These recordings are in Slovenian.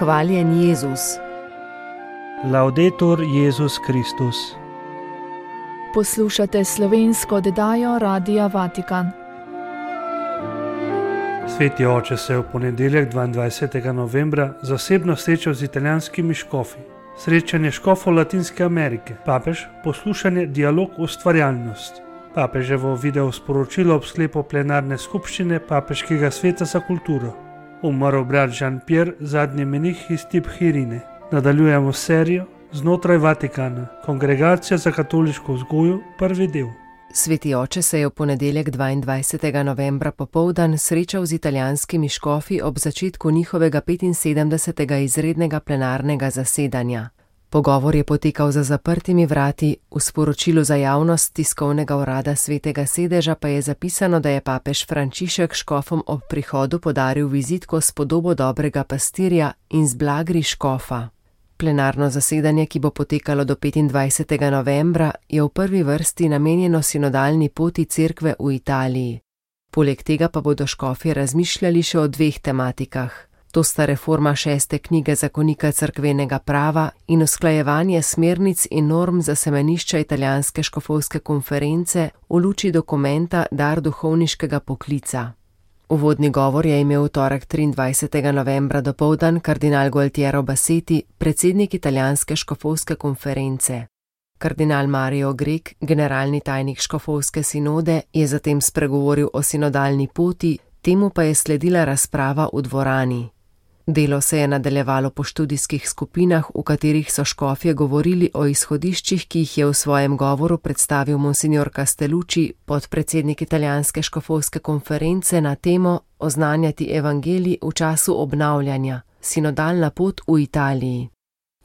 Hvaljen Jezus. Laudetur Jezus Kristus. Poslušate slovensko oddajo Radia Vatikan. Sveti oče se je v ponedeljek 22. novembra zasebno srečal z italijanskimi škofi. Srečanje škofov Latinske Amerike, papež, poslušanje, dialog, ustvarjalnost. Papeževo video sporočilo ob sklepu plenarne skupščine Papeškega sveta za kulturo. Umrl brat Jean-Pierre, zadnji menih iz Tibhirine. Nadaljujemo serijo Znotraj Vatikana, Kongregacija za katoliško vzgojo, prvi del. Sveti oče se je v ponedeljek 22. novembra popoldan srečal z italijanskimi škofi ob začetku njihovega 75. izrednega plenarnega zasedanja. Pogovor je potekal za zaprtimi vrati, v sporočilu za javnost tiskovnega urada Svetega sedeža pa je zapisano, da je papež Frančišek škofom ob prihodu podaril vizitko s podobo dobrega pastirja in z blagri škofa. Plenarno zasedanje, ki bo potekalo do 25. novembra, je v prvi vrsti namenjeno sinodalni poti cerkve v Italiji. Poleg tega pa bodo škofje razmišljali še o dveh tematikah. To sta reforma 6. knjige zakonika cerkvenega prava in usklajevanje smernic in norm za semenišča italijanske škofovske konference v luči dokumenta Dar duhovniškega poklica. Uvodni govor je imel v torek 23. novembra dopoldan kardinal Gualtiero Bassetti, predsednik italijanske škofovske konference. Kardinal Mario Grek, generalni tajnik škofovske sinode, je zatem spregovoril o sinodalni poti, temu pa je sledila razprava v dvorani. Delo se je nadaljevalo po študijskih skupinah, v katerih so škofje govorili o izhodiščih, ki jih je v svojem govoru predstavil monsignor Castellucci, podpredsednik italijanske škofovske konference, na temo Oznanjati evangelij v času obnavljanja, sinodalna pot v Italiji.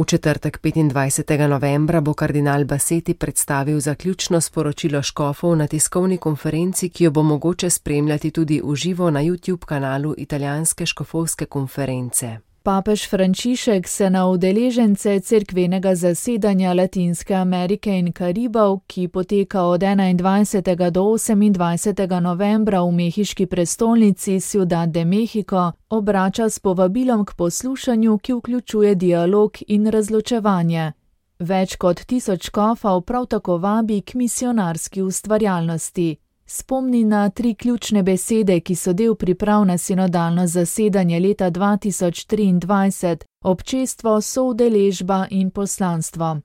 V četrtek 25. novembra bo kardinal Bassetti predstavil zaključno sporočilo škofov na tiskovni konferenci, ki jo bo mogoče spremljati tudi v živo na YouTube kanalu italijanske škofovske konference. Papež Frančišek se na udeležence cerkvenega zasedanja Latinske Amerike in Karibov, ki poteka od 21. do 28. novembra v mehiški prestolnici Ciudad de México, obrača s povabilom k poslušanju, ki vključuje dialog in razločevanje. Več kot 1000 škofov prav tako vabi k misionarski ustvarjalnosti. Spomni na 3 ključne besede, ki so del priprav na sinodalno zasedanje leta 2023, občestvo, soudeležba in poslanstvo.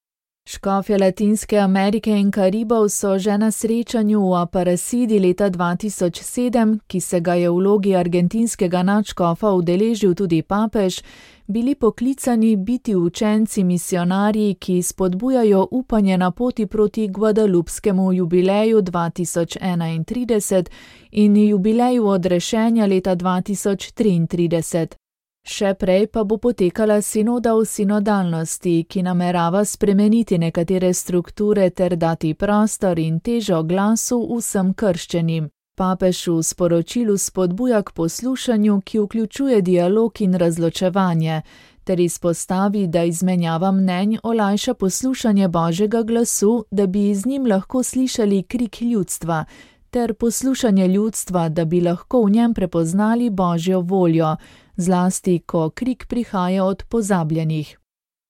Škofje Latinske Amerike in Karibov so že na srečanju v Aparecidi leta 2007, ki se ga je v vlogi argentinskega nadškofa udeležil tudi papež, bili poklicani biti učenci misionarji, ki spodbujajo upanje na poti proti Guadalupskemu jubileju 2031 in jubileju odrešenja leta 2033. Še prej pa bo potekala sinoda v sinodalnosti, ki namerava spremeniti nekatere strukture ter dati prostor in težo glasu vsem krščenim. Papež v sporočilu spodbuja k poslušanju, ki vključuje dialog in razločevanje, ter izpostavi, da izmenjava mnenj olajša poslušanje Božjega glasu, da bi z njim lahko slišali krik ljudstva, ter poslušanje ljudstva, da bi lahko v njem prepoznali Božjo voljo, zlasti ko krik prihaja od pozabljenih.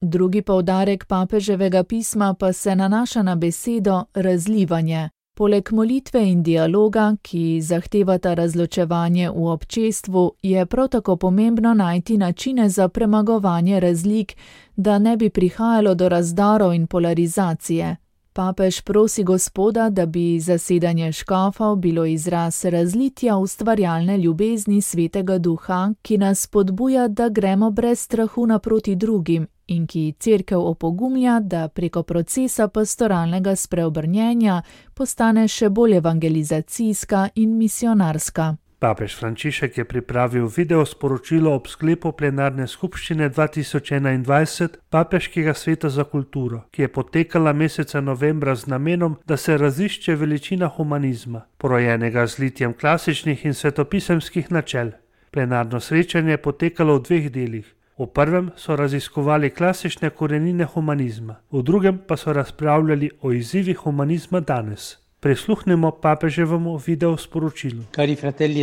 Drugi poudarek papeževega pisma pa se nanaša na besedo razlivanje. Poleg molitve in dialoga, ki zahtevata razločevanje v občestvu, je prav tako pomembno najti načine za premagovanje razlik, da ne bi prihajalo do razdorov in polarizacije. Papež prosi Gospoda, da bi zasedanje škofov bilo izraz razlitja ustvarjalne ljubezni Svetega Duha, ki nas spodbuja, da gremo brez strahu naproti drugim in ki cerkev opogumlja, da preko procesa pastoralnega spreobrnjenja postane še bolj evangelizacijska in misionarska. Papež Frančišek je pripravil video sporočilo ob sklepu plenarne skupščine 2021 Papeškega sveta za kulturo, ki je potekala meseca novembra z namenom, da se razišče veličina humanizma, porojenega z litjem klasičnih in svetopisemskih načel. Plenarno srečanje je potekalo v 2 delih. V prvem so raziskovali klasične korenine humanizma, v drugem pa so razpravljali o izzivih humanizma danes. Prisluhnimo papeževemu video sporočilu.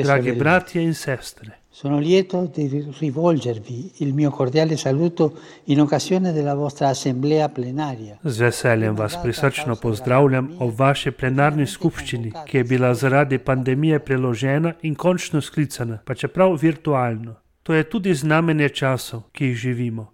Dragi bratje in sestre, Sono lieto di rivolgervi il mio cordiale saluto in occasione della vostra assemblea plenaria. Z veseljem vas prisrčno pozdravljam ob vaši plenarni skupščini, ki je bila zaradi pandemije preložena in končno sklicana, pa čeprav virtualno. To je tudi znamenje časov, ki jih živimo.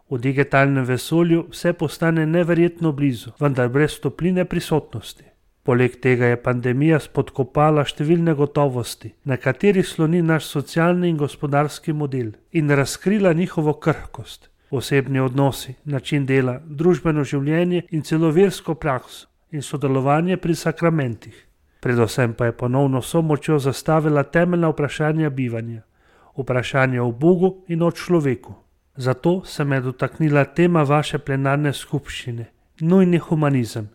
V digitalnem vesolju vse postane neverjetno blizu, vendar brez topline prisotnosti. Poleg tega je pandemija spodkopala številne gotovosti, na katerih sloni naš socialni in gospodarski model, in razkrila njihovo krhkost, osebni odnosi, način dela, družbeno življenje in celo versko prakso in sodelovanje pri sakramentih. Predvsem pa je ponovno s močjo zastavila temeljna vprašanja bivanja, vprašanja o Bogu in o človeku. Zato se me je dotaknila tema vaše plenarne skupščine, nujni humanizem.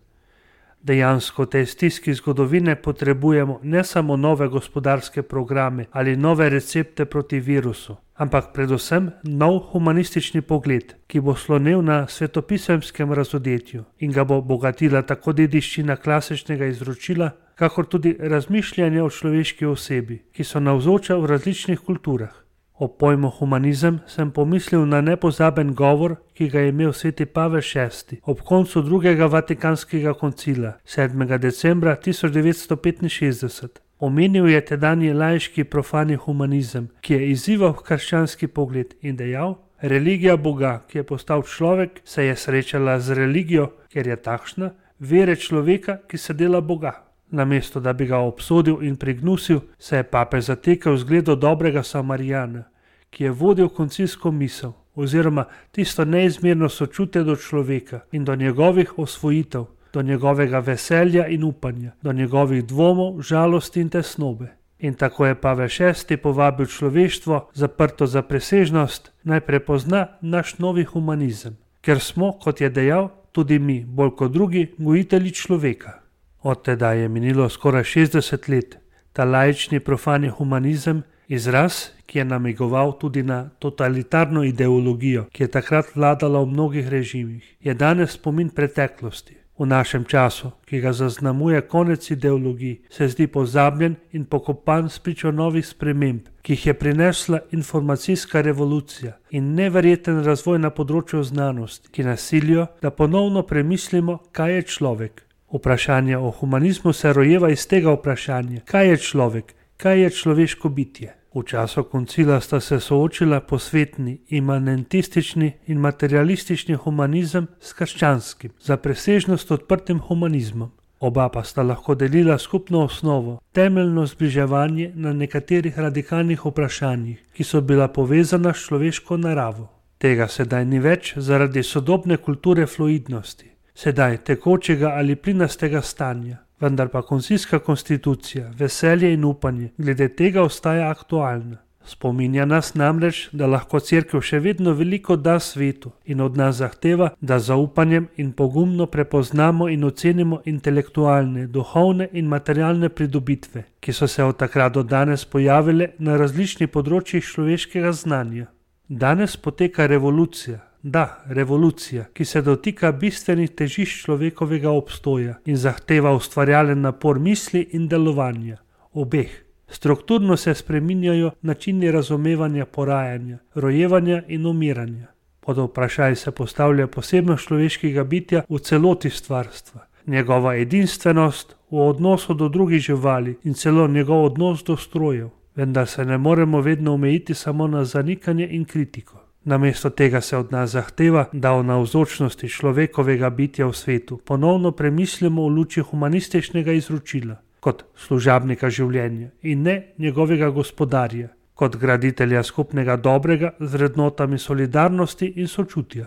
Dejansko v tej stiski zgodovine potrebujemo ne samo nove gospodarske programe ali nove recepte proti virusu, ampak predvsem nov humanistični pogled, ki bo slonel na svetopisemskem razodetju in ga bo bogatila tako dediščina klasičnega izročila, kakor tudi razmišljanje o človeški osebi, ki so navzoča v različnih kulturah. O pojmu humanizem sem pomislil na nepozaben govor, ki ga je imel sveti Pavel VI ob koncu drugega Vatikanskega koncila 7. decembra 1965. Omenil je tedanji laiški profani humanizem, ki je izzival krščanski pogled in dejal: religija Boga, ki je postal človek, se je srečala z religijo, ker je takšna, vere človeka, ki se dela Boga. Namesto da bi ga obsodil in prignusil, se je papež zatekel zgledu dobrega Samarijana, ki je vodil koncilsko misel oziroma tisto neizmerno sočutje do človeka in do njegovih osvojitev, do njegovega veselja in upanja, do njegovih dvomov, žalosti in tesnobe. In tako je Pavel VI povabil človeštvo, zaprto za presežnost, naj prepozna naš novi humanizem, ker smo, kot je dejal, tudi mi, bolj kot drugi, gojitelji človeka. Od tedaj je minilo skoraj 60 let. Ta laični profani humanizem, izraz, ki je namigoval tudi na totalitarno ideologijo, ki je takrat vladala v mnogih režimih, je danes spomin preteklosti. V našem času, ki ga zaznamuje konec ideologij, se zdi pozabljen in pokopan spričo novih sprememb, ki jih je prinesla informacijska revolucija in neverjeten razvoj na področju znanosti, ki nas silijo, da ponovno premislimo, kaj je človek. Vprašanje o humanizmu se rojeva iz tega vprašanja, kaj je človek, kaj je človeško bitje. V času koncila sta se soočila posvetni, imanentistični in materialistični humanizem s krščanskim, za presežnost odprtim humanizmom. Oba pa sta lahko delila skupno osnovo, temeljno zbliževanje na nekaterih radikalnih vprašanjih, ki so bila povezana s človeško naravo. Tega sedaj ni več zaradi sodobne kulture fluidnosti. Sedaj tekočega ali plinastega stanja, vendar pa koncilska konstitucija, veselje in upanje glede tega ostaja aktualna. Spominja nas namreč, da lahko Cerkev še vedno veliko da svetu in od nas zahteva, da zaupanjem in pogumno prepoznamo in ocenimo intelektualne, duhovne in materialne pridobitve, ki so se od takrat do danes pojavile na različnih področjih človeškega znanja. Danes poteka revolucija. Da, revolucija, ki se dotika bistvenih težišč človekovega obstoja in zahteva ustvarjalen napor misli in delovanja, obeh. Strukturno se spreminjajo načini razumevanja porajanja, rojevanja in umiranja. Pod vprašaj se postavlja posebnost človeškega bitja v celoti stvarstva, njegova edinstvenost v odnosu do drugih živali in celo njegov odnos do strojev, vendar se ne moremo vedno omejiti samo na zanikanje in kritiko. Namesto tega se od nas zahteva, da o navzočnosti človekovega bitja v svetu ponovno premislimo v luči humanističnega izročila, kot služabnika življenja in ne njegovega gospodarja, kot graditelja skupnega dobrega z vrednotami solidarnosti in sočutja.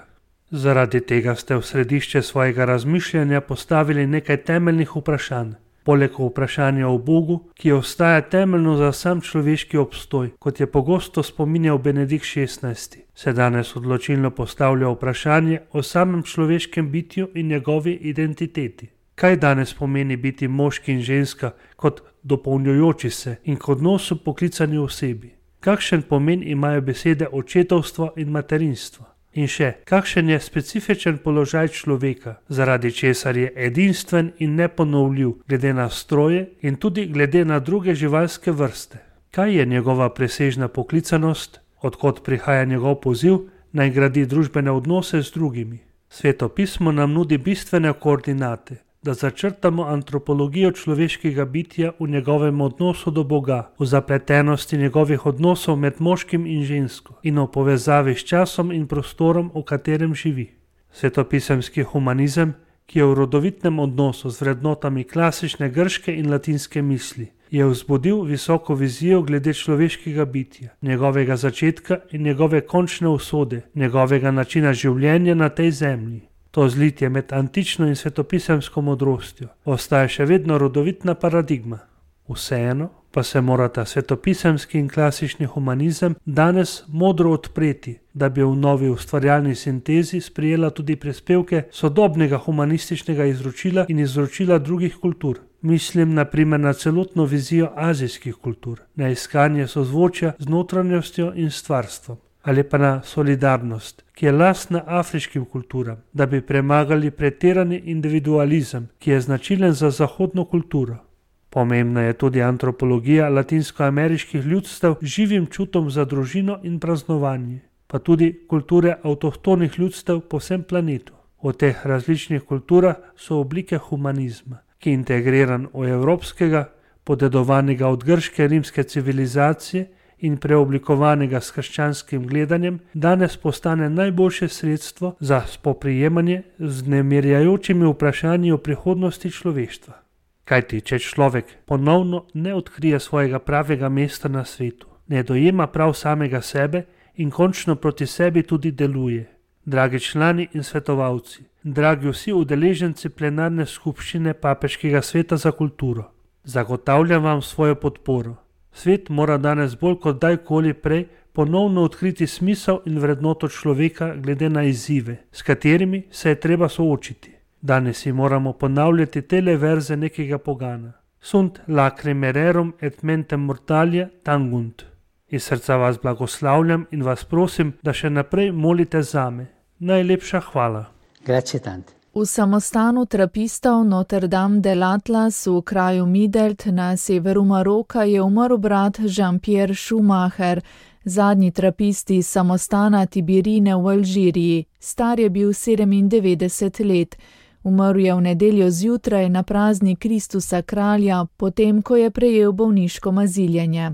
Zaradi tega ste v središče svojega razmišljanja postavili nekaj temeljnih vprašanj. Poleg vprašanja o Bogu, ki ostaja temeljno za sam človeški obstoj, kot je pogosto spominjal Benedikt XVI, se danes odločilno postavlja vprašanje o samem človeškem bitju in njegovi identiteti. Kaj danes pomeni biti moški in ženska kot dopolnjujoči se in kot odnosu poklicani osebi? Kakšen pomen imajo besede očetovstvo in materinstvo? In še, kakšen je specifičen položaj človeka, zaradi česar je edinstven in neponovljiv glede na stroje in tudi glede na druge živalske vrste. Kaj je njegova presežna poklicanost, odkot prihaja njegov poziv, naj gradi družbene odnose z drugimi? Sveto pismo nam nudi bistvene koordinate, da začrtamo antropologijo človeškega bitja v njegovem odnosu do Boga, v zapletenosti njegovih odnosov med moškim in žensko in v povezavi s časom in prostorom, v katerem živi. Svetopisemski humanizem, ki je v rodovitnem odnosu z vrednotami klasične grške in latinske misli, je vzbudil visoko vizijo glede človeškega bitja, njegovega začetka in njegove končne usode, njegovega načina življenja na tej zemlji. To zlitje med antično in svetopisemsko modrostjo ostaja še vedno rodovitna paradigma. Vseeno pa se morata svetopisemski in klasični humanizem danes modro odpreti, da bi v novi ustvarjalni sintezi sprijela tudi prispevke sodobnega humanističnega izročila in izročila drugih kultur. Mislim na primer na celotno vizijo azijskih kultur, na iskanje sozvočja z notranjostjo in stvarstvom, ali pa na solidarnost, ki je lastna afriškim kulturam, da bi premagali pretirani individualizem, ki je značilen za zahodno kulturo. Pomembna je tudi antropologija latinskoameriških ljudstev z živim čutom za družino in praznovanje, pa tudi kulture avtohtonih ljudstev po vsem planetu. V teh različnih kulturah so oblike humanizma, ki je integriran v evropskega, podedovanega od grške rimske civilizacije in preoblikovanega s krščanskim gledanjem, danes postane najboljše sredstvo za spoprijemanje z nemirjajočimi vprašanji o prihodnosti človeštva. Kajti, če človek ponovno ne odkrije svojega pravega mesta na svetu, ne dojema prav samega sebe in končno proti sebi tudi deluje. Dragi člani in svetovalci, dragi vsi udeleženci plenarne skupščine Papeškega sveta za kulturo, zagotavljam vam svojo podporo. Svet mora danes bolj kot dajkoli prej ponovno odkriti smisel in vrednoto človeka glede na izzive, s katerimi se je treba soočiti. Danes si moramo ponavljati tele verze nekega pogana. Sunt lacrimae rerum et mentem mortalia tangunt. Iz srca vas blagoslavljam in vas prosim, da še naprej molite zame. Najlepša hvala. Grazie tante. V samostanu trapistov Notre Dame de l'Atlas v kraju Midelt na severu Maroka je umrl brat Jean-Pierre Schumacher, zadnji trapist iz samostana Tibirine v Alžiriji. Star je bil 97 let. Umrl je v nedeljo zjutraj na praznik Kristusa kralja, potem ko je prejel bolniško maziljenje.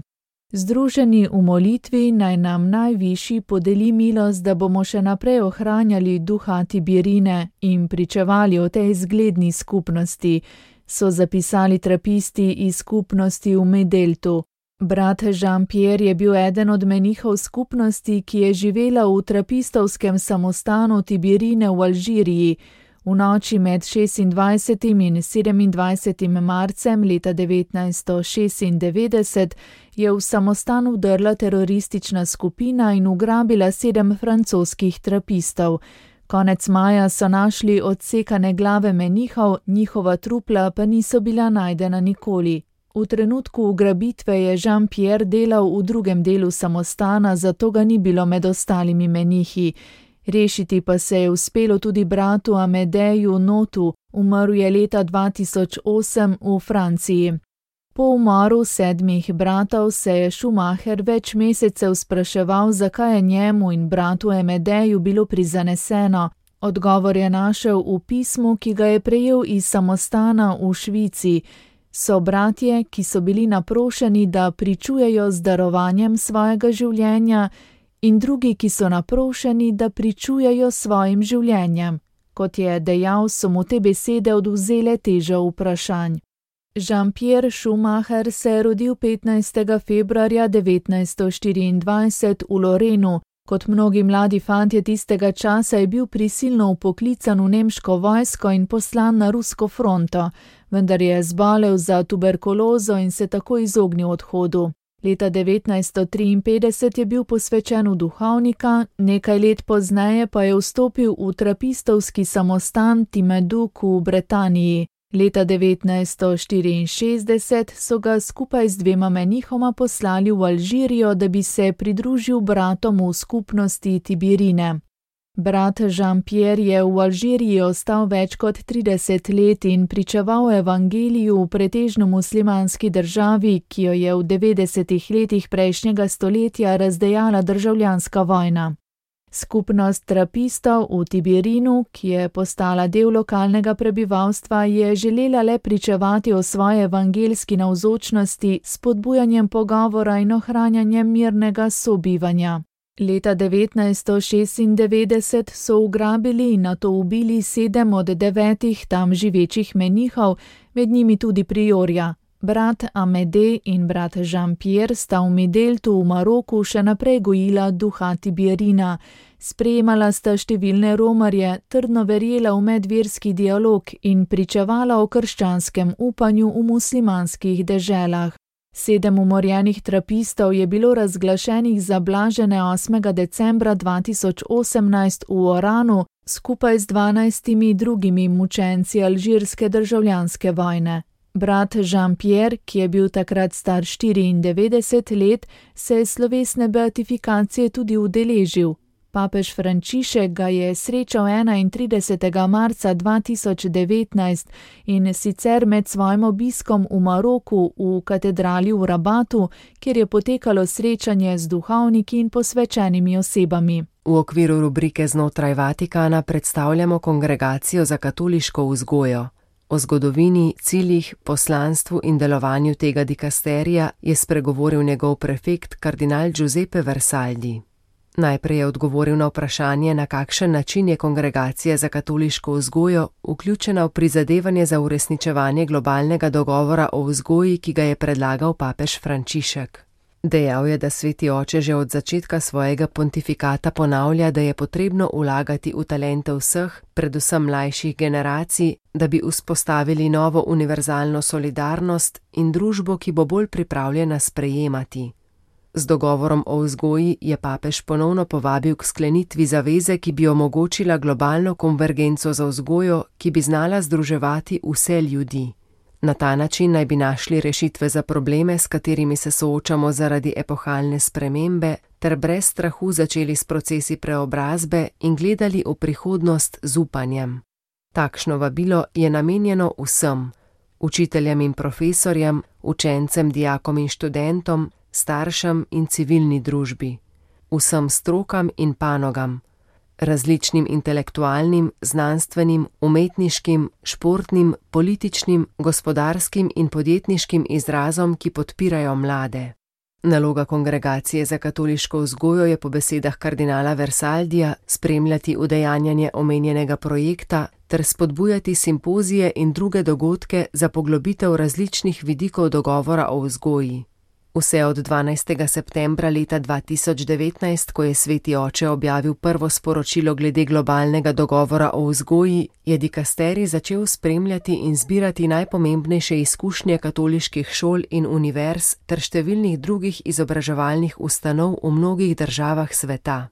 Združeni v molitvi naj nam najvišji podeli milost, da bomo še naprej ohranjali duha Tibirine in pričevali o tej zgledni skupnosti, so zapisali trapisti iz skupnosti v Medeltu. Brat Jean-Pierre je bil eden od menihov skupnosti, ki je živela v trapistovskem samostanu Tibirine v Alžiriji. V noči med 26. in 27. marcem leta 1996 je v samostan vdrla teroristična skupina in ugrabila 7 francoskih trapistov. Konec maja so našli odsekane glave menihov, njihova trupla pa niso bila najdena nikoli. V trenutku ugrabitve je Jean-Pierre delal v drugem delu samostana, zato ga ni bilo med ostalimi menihi. Rešiti pa se je uspelo tudi bratu Amedeju Notu, umrl je leta 2008 v Franciji. Po umoru 7 bratov se je Schumacher več mesecev spraševal, zakaj je njemu in bratu Amedeju bilo prizaneseno. Odgovor je našel v pismu, ki ga je prejel iz samostana v Švici. So bratje, ki so bili naprošeni, da pričujejo z darovanjem svojega življenja, in drugi, ki so naprošeni, da pričujejo svojim življenjem. Kot je dejal, so mu te besede odvzele težo vprašanj. Jean-Pierre Schumacher se je rodil 15. februarja 1924 v Lorenu. Kot mnogi mladi fantje tistega časa je bil prisilno vpoklican v nemško vojsko in poslan na rusko fronto, vendar je zbolel za tuberkulozo in se tako izognil odhodu. Leta 1953 je bil posvečen v duhovnika, nekaj let pozneje pa je vstopil v trapistovski samostan Timeduk v Britaniji. Leta 1964 so ga skupaj z 2 menihoma poslali v Alžirijo, da bi se pridružil bratom v skupnosti Tibirine. Brat Jean-Pierre je v Alžiriji ostal več kot 30 let in pričeval evangeliju v pretežno muslimanski državi, ki jo je v 90. letih prejšnjega stoletja razdejala državljanska vojna. Skupnost trapistov v Tibirinu, ki je postala del lokalnega prebivalstva, je želela le pričevati o svoji evangelski navzočnosti s spodbujanjem pogovora in ohranjanjem mirnega sobivanja. Leta 1996 so ugrabili in nato ubili 7 od 9 tam živečih menihov, med njimi tudi priorja. Brat Amédée in brat Jean-Pierre sta v Mideltu v Maroku še naprej gojila duha Tibirina. Sprejemala sta številne romarje, trdno verjela v medverski dialog in pričevala o krščanskem upanju v muslimanskih deželah. 7 umorjenih trapistov je bilo razglašenih za blažene 8. decembra 2018 v Oranu skupaj z 12 drugimi mučenci alžirske državljanske vojne. Brat Jean-Pierre, ki je bil takrat star 94 let, se je slovesne beatifikacije tudi udeležil. Papež Frančišek ga je srečal 31. marca 2019 in sicer med svojim obiskom v Maroku v katedrali v Rabatu, kjer je potekalo srečanje z duhovniki in posvečenimi osebami. V okviru rubrike Znotraj Vatikana predstavljamo Kongregacijo za katoliško vzgojo. O zgodovini, ciljih, poslanstvu in delovanju tega dikasterija je spregovoril njegov prefekt kardinal Giuseppe Versaldi. Najprej je odgovoril na vprašanje, na kakšen način je Kongregacija za katoliško vzgojo vključena v prizadevanje za uresničevanje globalnega dogovora o vzgoji, ki ga je predlagal papež Frančišek. Dejal je, da Sveti oče že od začetka svojega pontifikata ponavlja, da je potrebno vlagati v talente vseh, predvsem mlajših generacij, da bi vzpostavili novo univerzalno solidarnost in družbo, ki bo bolj pripravljena sprejemati. Z dogovorom o vzgoji je papež ponovno povabil k sklenitvi zaveze, ki bi omogočila globalno konvergenco za vzgojo, ki bi znala združevati vse ljudi. Na ta način naj bi našli rešitve za probleme, s katerimi se soočamo zaradi epohalne spremembe, ter brez strahu začeli s procesi preobrazbe in gledali v prihodnost z upanjem. Takšno vabilo je namenjeno vsem, učiteljem in profesorjem, učencem, dijakom in študentom, staršem in civilni družbi, vsem strokam in panogam, različnim intelektualnim, znanstvenim, umetniškim, športnim, političnim, gospodarskim in podjetniškim izrazom, ki podpirajo mlade. Naloga Kongregacije za katoliško vzgojo je po besedah kardinala Versaldija spremljati udejanjanje omenjenega projekta ter spodbujati simpozije in druge dogodke za poglobitev različnih vidikov dogovora o vzgoji. Vse od 12. septembra leta 2019, ko je Sveti oče objavil prvo sporočilo glede globalnega dogovora o vzgoji, je dikasterij začel spremljati in zbirati najpomembnejše izkušnje katoliških šol in univerz ter številnih drugih izobraževalnih ustanov v mnogih državah sveta.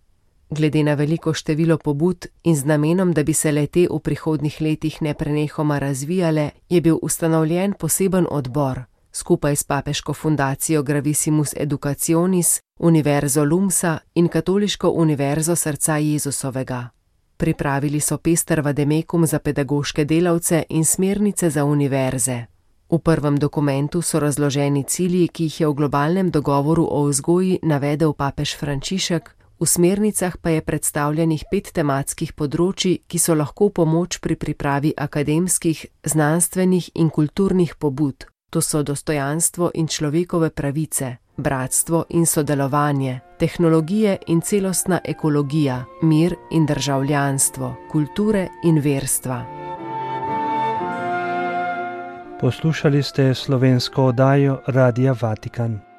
Glede na veliko število pobud in z namenom, da bi se le-te v prihodnjih letih neprenehoma razvijale, je bil ustanovljen poseben odbor. Skupaj s papeško fundacijo Gravissimus Educationis, Univerzo Lumsa in Katoliško univerzo srca Jezusovega. Pripravili so pester vademekum za pedagoške delavce in smernice za univerze. V prvem dokumentu so razloženi cilji, ki jih je v globalnem dogovoru o vzgoji navedel papež Frančišek, v smernicah pa je predstavljenih 5 tematskih področij, ki so lahko pomoč pri pripravi akademskih, znanstvenih in kulturnih pobud. To so dostojanstvo in človekove pravice, bratstvo in sodelovanje, tehnologije in celostna ekologija, mir in državljanstvo, kulture in verstva. Poslušali ste slovensko oddajo Radia Vatikan.